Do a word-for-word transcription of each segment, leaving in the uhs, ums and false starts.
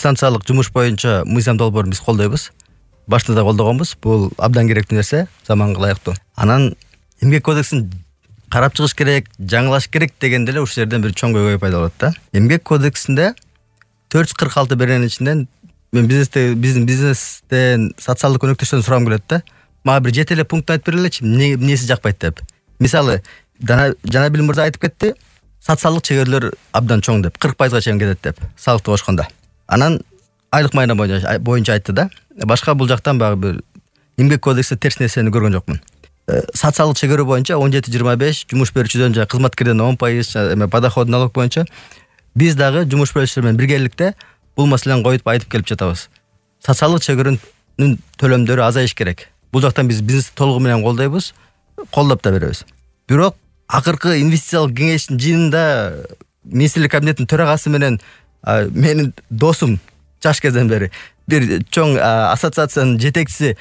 дистанциялык жумуш боюнча мыйзам долбоорун биз колдойбуз. Башында да колдогонбуз. Бул абдан керектүү нерсе, заманга ылайыктуу. Анан эмгек кодексин карап чыгыш керек, жаңылаш керек дегенде эле ушул жерден бир чоң көйгөй пайда болот да. Эмгек кодексинде төрт жүз кырк алты беренин ичинен мен бизнесте биздин бизнестен социалдык өнөктөштөрдөн сурагым келет да. Мага бир жети эле пункт айтып бергилечи, эмнеси жакпайт деп. Мисалы, Жанабил мырза айтып кетти, социалдык чегөрөлөр абдан чоң деп, кырк пайызга чейин кетет деп, салыкты кошкондо. Анан айлык майна боюнча айтты да. Башка бул жактан багы бир эмгек кодексте терс нерсени көргөн жокмун. Социалдык чегөрө боюнча он жети жыйырма беш, жумуш берүүчүдөн жана кызматкерден он пайыз, эме подоход налог боюнча биз дагы жумуш берүүчүлөр менен биргеликте бул маселени коюп айтып келип жатабыз. Социалдык чегөрөнүн төлөмдөрү азайыш керек. Бул жактан биз бизнести толугу менен колдойбуз, колдоп да беребиз. Бирок акыркы инвестициялык кеңештин жыйынында министрлик кабинетинин төрагасы менен менин досум жаш кезден бери бир чоң ассоциациянын жетекчиси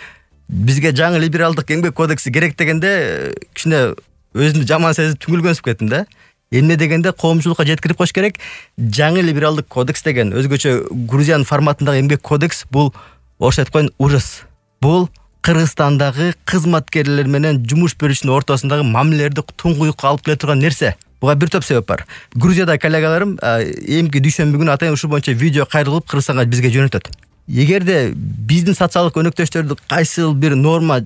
бизге жаңы либералдык эмгек кодекси керек дегенде кичине өзүмдү жаман сезип түңүлгөнсүп кеттим да. Эмне дегенде коомчулукка жеткирип коюш керек. Жаңы либералдык кодекс деген өзгөчө Грузиянын форматындагы эмгек кодекс бул орусча айтып коеюн ужас. Бул Кыргызстандагы кызматкерлер менен жумуш берүүчүнүн ортосундагы мамилелерди туңгуюкка алып келе турган нерсе. Буга бир топ себеп бар. Грузияда коллегаларым эмки дүйшөмбү күнү атайын ушул боюнча видео кайры кылып Кыргызстанга бизге жөнөтөт. Эгерде биздин социалдык өнөктөштөрдү кайсы бир норма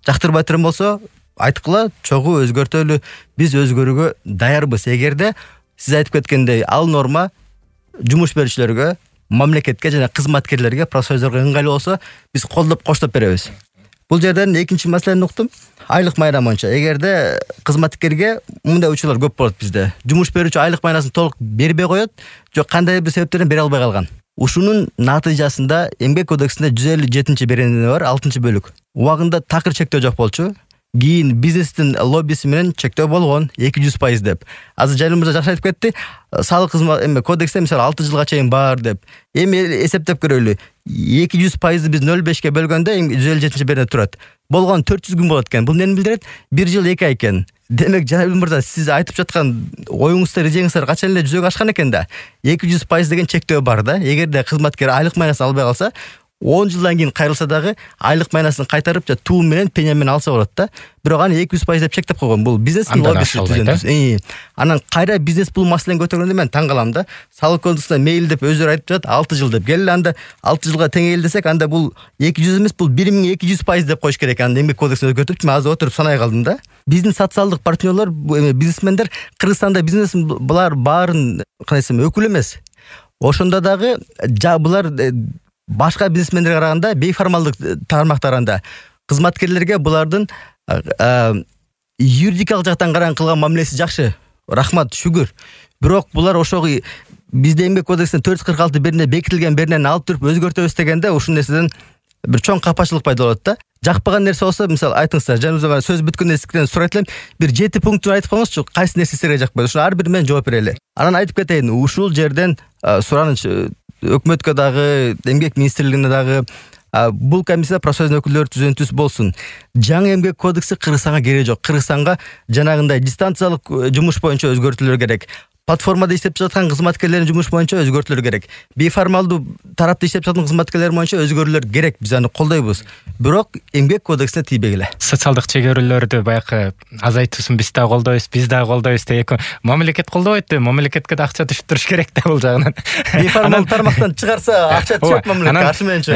жактырбай турган болсо, айткыла, чогуу өзгөртөлү, биз өзгөрүүгө даярбыз. Эгерде сиз айтып кеткендей ал норма жумуш берүүчүлөргө, мамлекетке жана кызматкерлерге, профсоюздарга ыңгайлуу болсо, биз колдоп коштоп беребиз. Бул жерден экинчи маселени уктум. Айлык майна боюнча эгерде кызматкерге мындай учурлар көп болот bizde. Жумуш берүүчү айлык майнасын толук бербей коет, жок кандайдыр бир себептерден бере албай калган. Ушунун натыйжасында эмгек кодексинде жүз элүү жетинчи берени бар, алтынчы бөлүк. Убагында такыр чектөө жок болчу. Кийин бизнестин лоббиси менен чектөө болгон эки жүз пайыз деп. Азыр Жанабил мырза жакшы айтып кетти. Салык кызмат эме кодексте мисалы алты жылга чейин бар деп. Эми эсептеп көрөлү. эки жүз пайызды биз нөл бешке бөлгөндө жүз элүү жетинчи берене турат. Болгон төрт жүз күн болот экен. Бул эмнени билдирет? бир жыл эки ай экен. Демек Жанабил мырза сиз айтып жаткан оюңуздар, идеяңыздар качан эле жүзөгө ашкан экен да. эки жүз пайыз деген чектөө бар да. Эгерде кызматкер айлык майнасын албай калса, он жылдан кийин кайрылса дагы айлык майнасын кайтарып жа туу менен пеня менен алса болот да. Бирок аны эки жүз пайыз деп чектеп койгон. Бул бизнестин лоббиси. Анан кайра бизнес бул маселени көтөргөндө мен таң калам да. Салык кодексинде мейли деп өздөрү айтып жатат, алты жыл деп. Келе анда алты жылга теңейли десек, анда бул эки жүз эмес, бул бир миң эки жүз пайыз деп коюш керек. Анда эмгек кодексин өзгөртүп, мен азыр отуруп санай калдым да. Биздин социалдык партнерлор, бизнесмендер Кыргызстанда бизнес булар баарын кандай десем өкүл эмес. Ошондо дагы булар башка бизнесмендерге караганда бейформалдык тармактарында кызматкерлерге булардын юридикалык жактан караган кылган мамилеси жакшы. Рахмат, шүгүр. Бирок булар ошого бизде эмгек кодексинде төрт жүз кырк алты берене бекитилген беренени алып туруп өзгөртөбүз дегенде ушул нерседен бир чоң капачылык пайда болот да. Жакпаган нерсе болсо, мисалы айтыңыздар, жаныбызга сөз бүткөндө сизден сурайт элем, бир жети пунктун айтып коюңузчу, кайсы нерсе силерге жакпайт. Ушуну ар бир менен жооп берели. Анан айтып кетейин, ушул жерден сураныч өкмөткө дагы, эмгек министрлигине дагы бул комиссия профсоюздун өкүлдөрү түзөнтүс болсун. Жаңы эмгек кодекси Кыргызстанга кереги жок. Кыргызстанга жанагындай дистанциялык жумуш боюнча өзгөртүүлөр керек. Платформада иштеп жаткан кызматкерлердин жумуш боюнча өзгөртүүлөр керек. Бейформалдуу тарапта иштеп жаткан кызматкерлер боюнча өзгөрүүлөр керек. Биз аны колдойбуз. Бирок эмгек кодексине тийбегиле. Социалдык чегөрүүлөрдү баягы азайтуусун биз да колдойбуз, биз да колдойбуз деп мамлекет колдобойт деп, мамлекетке да акча түшүп туруш керек да бул жагынан. Бейформалдуу тармактан чыгарса акча түшөт мамлекетке, каршы менчи.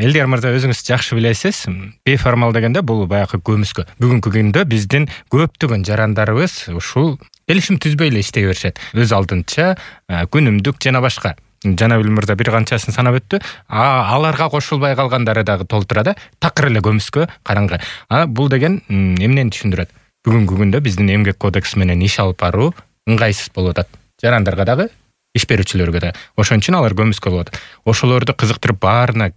Элдер мырза, өзүңүз жакшы билесиз, бейформал дегенде бул баягы көмүскө. Бүгүнкү күндө биздин көптөгөн жарандарыбыз ушул келишим түзбөй эле иштей беришет. Өз алдынча күнүмдүк жана башка. Жанабил мырза бир канчасын санап өттү. Аларга кошулбай калгандары дагы толтурат, такыр эле көмүскө, караңгы. Бул деген эмнени түшүндүрөт? Бүгүнкү күндө биздин эмгек кодекси менен иш алып баруу ыңгайсыз болуп атат. Жарандарга дагы, иш берүүчүлөргө да. Ошон үчүн алар көмүскө болуп атат. Ошолорду кызыктырып баарына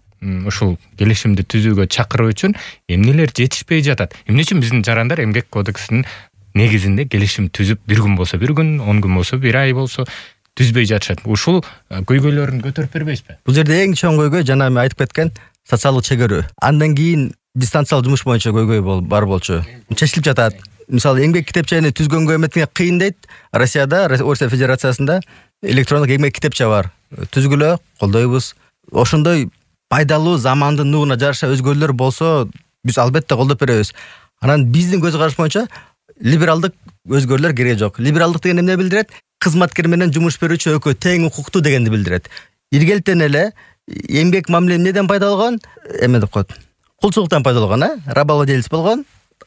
ушул келишимди түзүүгө чакыруу үчүн эмнелер жетишпей жатат? Эмне үчүн биздин жарандар эмгек кодексинин негизинде келишим түзүп, бир күн болсо бир күн, он күн болсо бир ай болсо түзбөй жатышат? Ушул көйгөйлөрүн көтөрүп бербейсизби? Бул жерде эң чоң көйгөй жана мен айтып кеткен социалдык чегөрүү. Андан кийин дистанциялык жумуш боюнча көйгөй бар болчу. Чечилип жатат. мисалы эмгек китепчени түзгөнгө эметиңе кыйын дейт. Россияда, Орусия Федерациясында электрондук эмгек китепче бар. Түзгүлө, колдойбуз. Ошондой пайдалуу замандын нугуна жараша өзгөрүүлөр болсо, биз албетте колдоп беребиз. Анан биздин көз караш боюнча либералдык өзгөрүүлөр кереги жок. Либералдык деген эмне билдирет? Кызматкер менен жумуш берүүчү экөө тең укуктуу дегенди билдирет. Иргелтен эле эмгек мамиле эмнеден пайда болгон? Эме деп коет. Кулчулуктан пайда болгон, а? Рабовладелец болгон,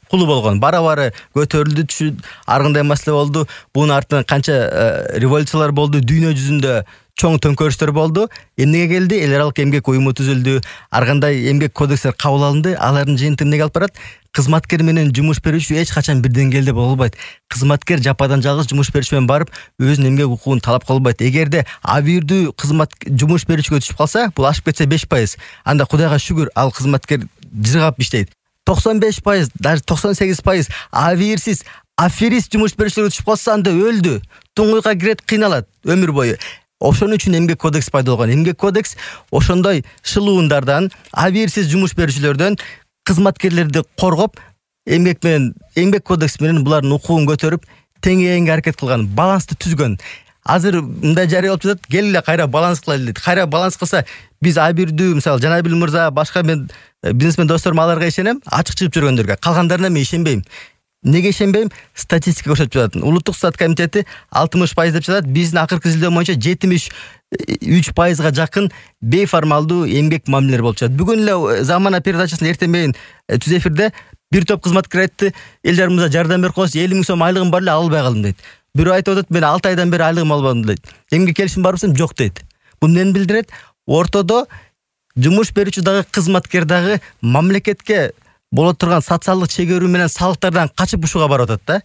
кулу болгон. Бара-бара көтөрүлдү, түшүп, ар кандай маселе болду. Бунун артынан канча революциялар болду, дүйнө жүзүндө чоң төңкөрүштөр болду. Эмнеге келди? Эл аралык эмгек уюму түзүлдү. Ар кандай эмгек кодекстер кабыл алынды. Алардын жыйынтыгы эмнеге алып барат? Кызматкер менен жумуш берүүчү эч качан бир деңгээлде боло албайт. Кызматкер жападан жалгыз жумуш берүүчү менен барып өзүнүн эмгек укугун талап кыла албайт. Эгерде абийирдүү кызмат жумуш берүүчүгө түшүп калса, бул ашып кетсе беш пайыз. Анда Кудайга шүгүр, ал кызматкер жыргап иштейт. токсон беш пайыз, даже токсон сегиз пайыз абийирсиз, аферист жумуш берүүчүлөр түшүп калса, анда өлдү. Туңгуйга кирет, кыйналат өмүр бою. Ошон үчүн эмгек кодекс пайда болгон. Эмгек кодекс ошондой шылуундардан, абийирсиз жумуш берүүчүлөрдөн кызматкерлерди коргоп, эмгек менен, эмгек кодекс менен булардын укугун көтөрүп, теңээнге аракет кылган, балансты түзгөн. Азыр мындай жарыя болуп жатат, кел эле кайра баланс кылайлы дейт. Кайра баланс кылса, биз абийирдүү, мисалы Жанабил мырза, башка мен бизнесмен досторум аларга ишенем, ачык чыгып жүргөндөргө. Калгандарына мен ишенбейм. Неге ишенбейм? Статистика көрсөтүп жатат. Улуттук стат комитети алтымыш пайыз деп жатат. Биздин акыркы изилдөө боюнча жетимиш үч пайызга жакын бейформалдуу эмгек мамилелер болуп жатат. Бүгүн эле Замана передачасында эртең менен түз эфирде бир топ кызматкер айтты, элдерибизге жардам берип коесуз, элүү миң сом айлыгым бар эле, ала албай калдым дейт. Бирөө айтып атат, мен алты айдан бери айлыгым албадым дейт. Эмгек келишим барбы десем, жок дейт. Бул эмнени билдирет? Ортодо жумуш берүүчү дагы, кызматкер дагы мамлекетке боло турган социалдык чегөрүү менен салыктардан качып ушуга барып атат да.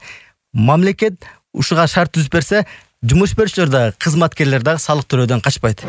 Мамлекет ушуга шарт түзүп берсе, жумуш берүүчүлөр дагы, кызматкерлер дагы салык төлөөдөн качпайт.